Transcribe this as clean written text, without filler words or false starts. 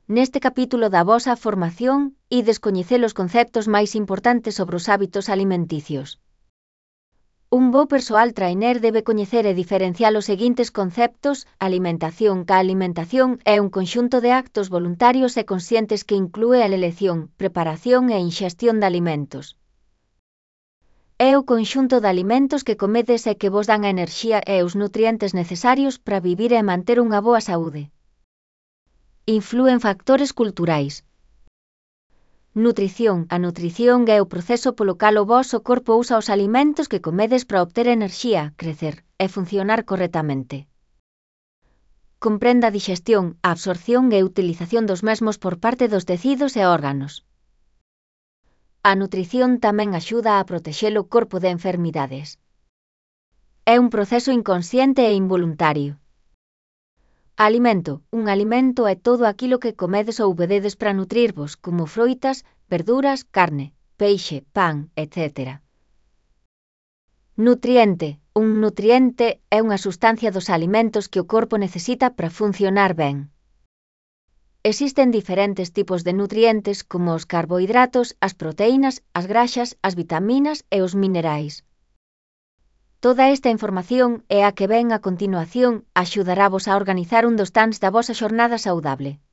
Neste capítulo da vosa formación, ides coñecer os conceptos máis importantes sobre os hábitos alimenticios. Un bo persoal trainer debe coñecer e diferenciar os seguintes conceptos: alimentación. Ca alimentación é un conxunto de actos voluntarios e conscientes que inclúe a elección, preparación e inxestión de alimentos. É o conxunto de alimentos que comedes e que vos dan a enerxía e os nutrientes necesarios para vivir e manter unha boa saúde. Inflúen factores culturais. Nutrición. A nutrición é o proceso polo cal o voso corpo usa os alimentos que comedes para obter enerxía, crecer e funcionar correctamente. Comprende a dixestión, a absorción e utilización dos mesmos por parte dos tecidos e órganos. A nutrición tamén axuda a protexer o corpo de enfermidades. É un proceso inconsciente e involuntario. Alimento. Un alimento é todo aquilo que comedes ou bebedes para nutrirvos, como froitas, verduras, carne, peixe, pan, etc. Nutriente. Un nutriente é unha sustancia dos alimentos que o corpo necesita para funcionar ben. Existen diferentes tipos de nutrientes como os carbohidratos, as proteínas, as graxas, as vitaminas e os minerais. Toda esta información e a que ven a continuación axudaravos a organizar un dos tans da vosa xornada saudable.